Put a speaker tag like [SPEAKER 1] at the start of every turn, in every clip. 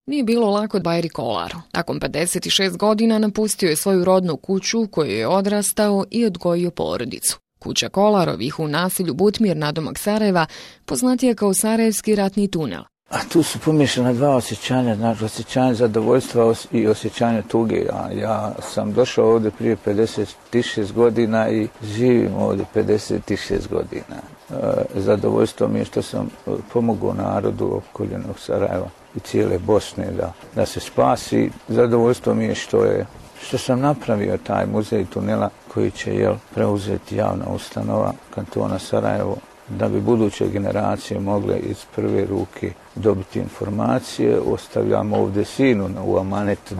[SPEAKER 1] Nije bilo lako Bajri Kolaru. Nakon 56 godina napustio je svoju rodnu kuću u kojoj je odrastao i odgojio porodicu. Kuća Kolarovih u naselju Butmir nadomak Sarajeva poznatija kao Sarajevski ratni tunel.
[SPEAKER 2] A tu su pomiješana dva osjećanja, znači osjećanje zadovoljstva i osjećanje tuge. Ja sam došao ovdje prije 56 godina i živim ovdje 56 godina. Zadovoljstvo mi je što sam pomogao narodu opkoljenog Sarajeva i cijele Bosne da se spasi. Zadovoljstvo mi je što sam napravio taj muzej tunela koji će preuzeti javna ustanova kantona Sarajevo, da bi buduće generacije mogle iz prve ruke dobiti informacije. Ostavljam ovdje sinu u amanet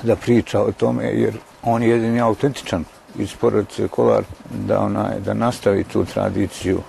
[SPEAKER 2] da priča o tome, jer on je jedini autentičan iz porodice Kolar da nastavi tu tradiciju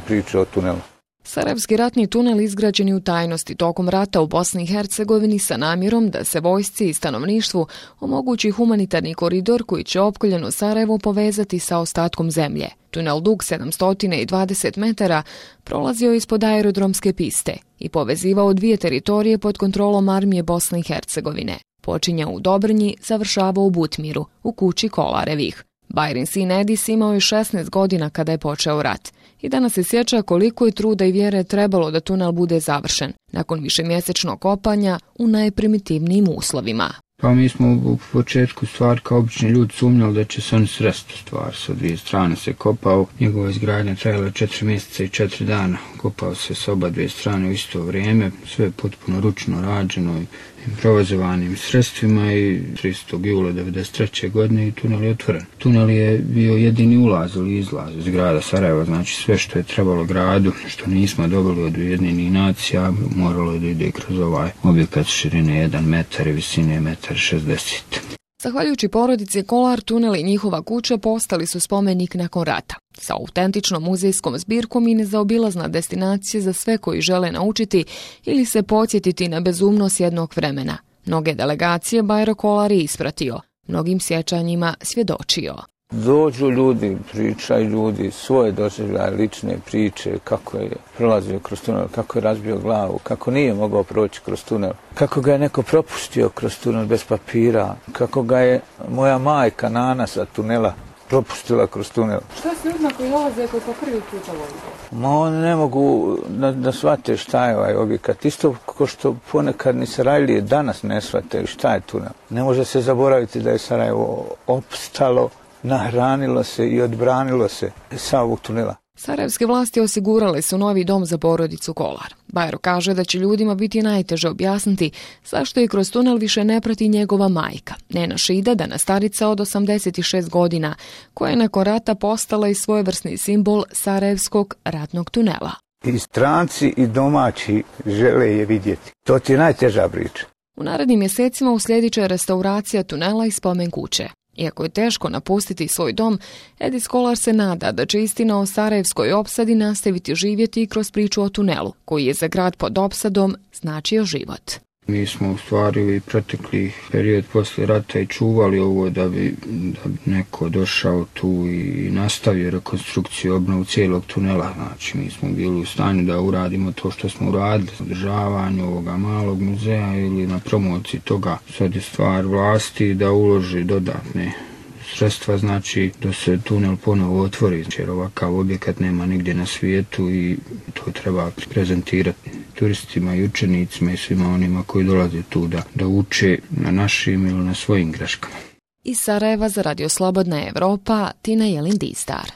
[SPEAKER 2] priče o tunelu.
[SPEAKER 1] Sarajevski ratni tunel izgrađen je u tajnosti tokom rata u Bosni i Hercegovini sa namjerom da se vojsci i stanovništvu omogući humanitarni koridor koji će opkoljeno Sarajevo povezati sa ostatkom zemlje. Tunel dug 720 metara prolazio ispod aerodromske piste i povezivao dvije teritorije pod kontrolom armije Bosne i Hercegovine. Počinjao u Dobrnji, završavao u Butmiru, u kući Kolarevih. Bajrin sin Edis imao je 16 godina kada je počeo rat i danas se sjeća koliko je truda i vjere trebalo da tunel bude završen, nakon višemjesečnog kopanja u najprimitivnijim uslovima.
[SPEAKER 3] Pa mi smo u početku stvar kao obični ljudi sumnjali da će se on sresti stvar. Sa dvije strane se kopao, njegova izgradnja trajala 4 mjeseca i 4 dana. Kopao se s oba dvije strane u isto vrijeme, sve potpuno ručno rađeno i improvizovanim sredstvima i 30. jula 1993. godine i tunel je otvoren. Tunel je bio jedini ulaz ili izlaz iz grada Sarajeva, znači sve što je trebalo gradu, što nismo dobili od Ujedinjenih nacija, moralo je da ide kroz ovaj objekat širine 1 metar i visine 1,60 m.
[SPEAKER 1] Zahvaljujući porodici Kolar, tunel i njihova kuća postali su spomenik nakon rata. Sa autentičnom muzejskom zbirkom i nezaobilazna destinacija za sve koji žele naučiti ili se podsjetiti na bezumnost jednog vremena. Mnoge delegacije Bajro Kolar je ispratio, mnogim sjećanjima svjedočio.
[SPEAKER 2] Dođu ljudi, pričaju ljudi svoje doživljaje, lične priče, kako je prolazio kroz tunel, kako je razbio glavu, kako nije mogao proći kroz tunel, kako ga je neko propustio kroz tunel bez papira, kako ga je moja majka Nana sa tunela propustila kroz tunel.
[SPEAKER 1] Što s ljudima koji dolaze koji po prvi puta vole?
[SPEAKER 2] Oni ne mogu da shvate šta je ovaj objekat. Isto kao što ponekad ni Sarajlije danas ne shvate šta je tunel. Ne može se zaboraviti da je Sarajevo opstalo, nahranilo se i odbranilo se sa ovog tunela.
[SPEAKER 1] Sarajevske vlasti osigurale su novi dom za porodicu Kolar. Bajro kaže da će ljudima biti najteže objasniti zašto je kroz tunel više ne prati njegova majka, Nena Šida, dana starica od 86 godina, koja je nakon rata postala i svojevrsni simbol Sarajevskog ratnog tunela.
[SPEAKER 2] I stranci i domaći žele je vidjeti. To ti je najteža priča.
[SPEAKER 1] U narednim mjesecima uslijedit će restauracija tunela i spomen kuće. Iako je teško napustiti svoj dom, Edis Kolar se nada da će istina o Sarajevskoj opsadi nastaviti živjeti i kroz priču o tunelu, koji je za grad pod opsadom značio život.
[SPEAKER 3] Mi smo u stvari protekli period poslije rata i čuvali ovo da bi neko došao tu i nastavio rekonstrukciju, obnovu cijelog tunela. Znači, mi smo bili u stanju da uradimo to što smo uradili, održavanju ovoga malog muzeja ili na promociji toga. Sad je stvar vlasti da uloži dodatne sredstva, znači da se tunel ponovo otvori, jer ovakav objekat nema nigdje na svijetu i to treba prezentirati turistima i učenicima i svima onima koji dolaze tu da uče na našim ili na svojim greškama.
[SPEAKER 1] Iz Sarajeva za Radio Slobodna Evropa, Tina Jelin Distar.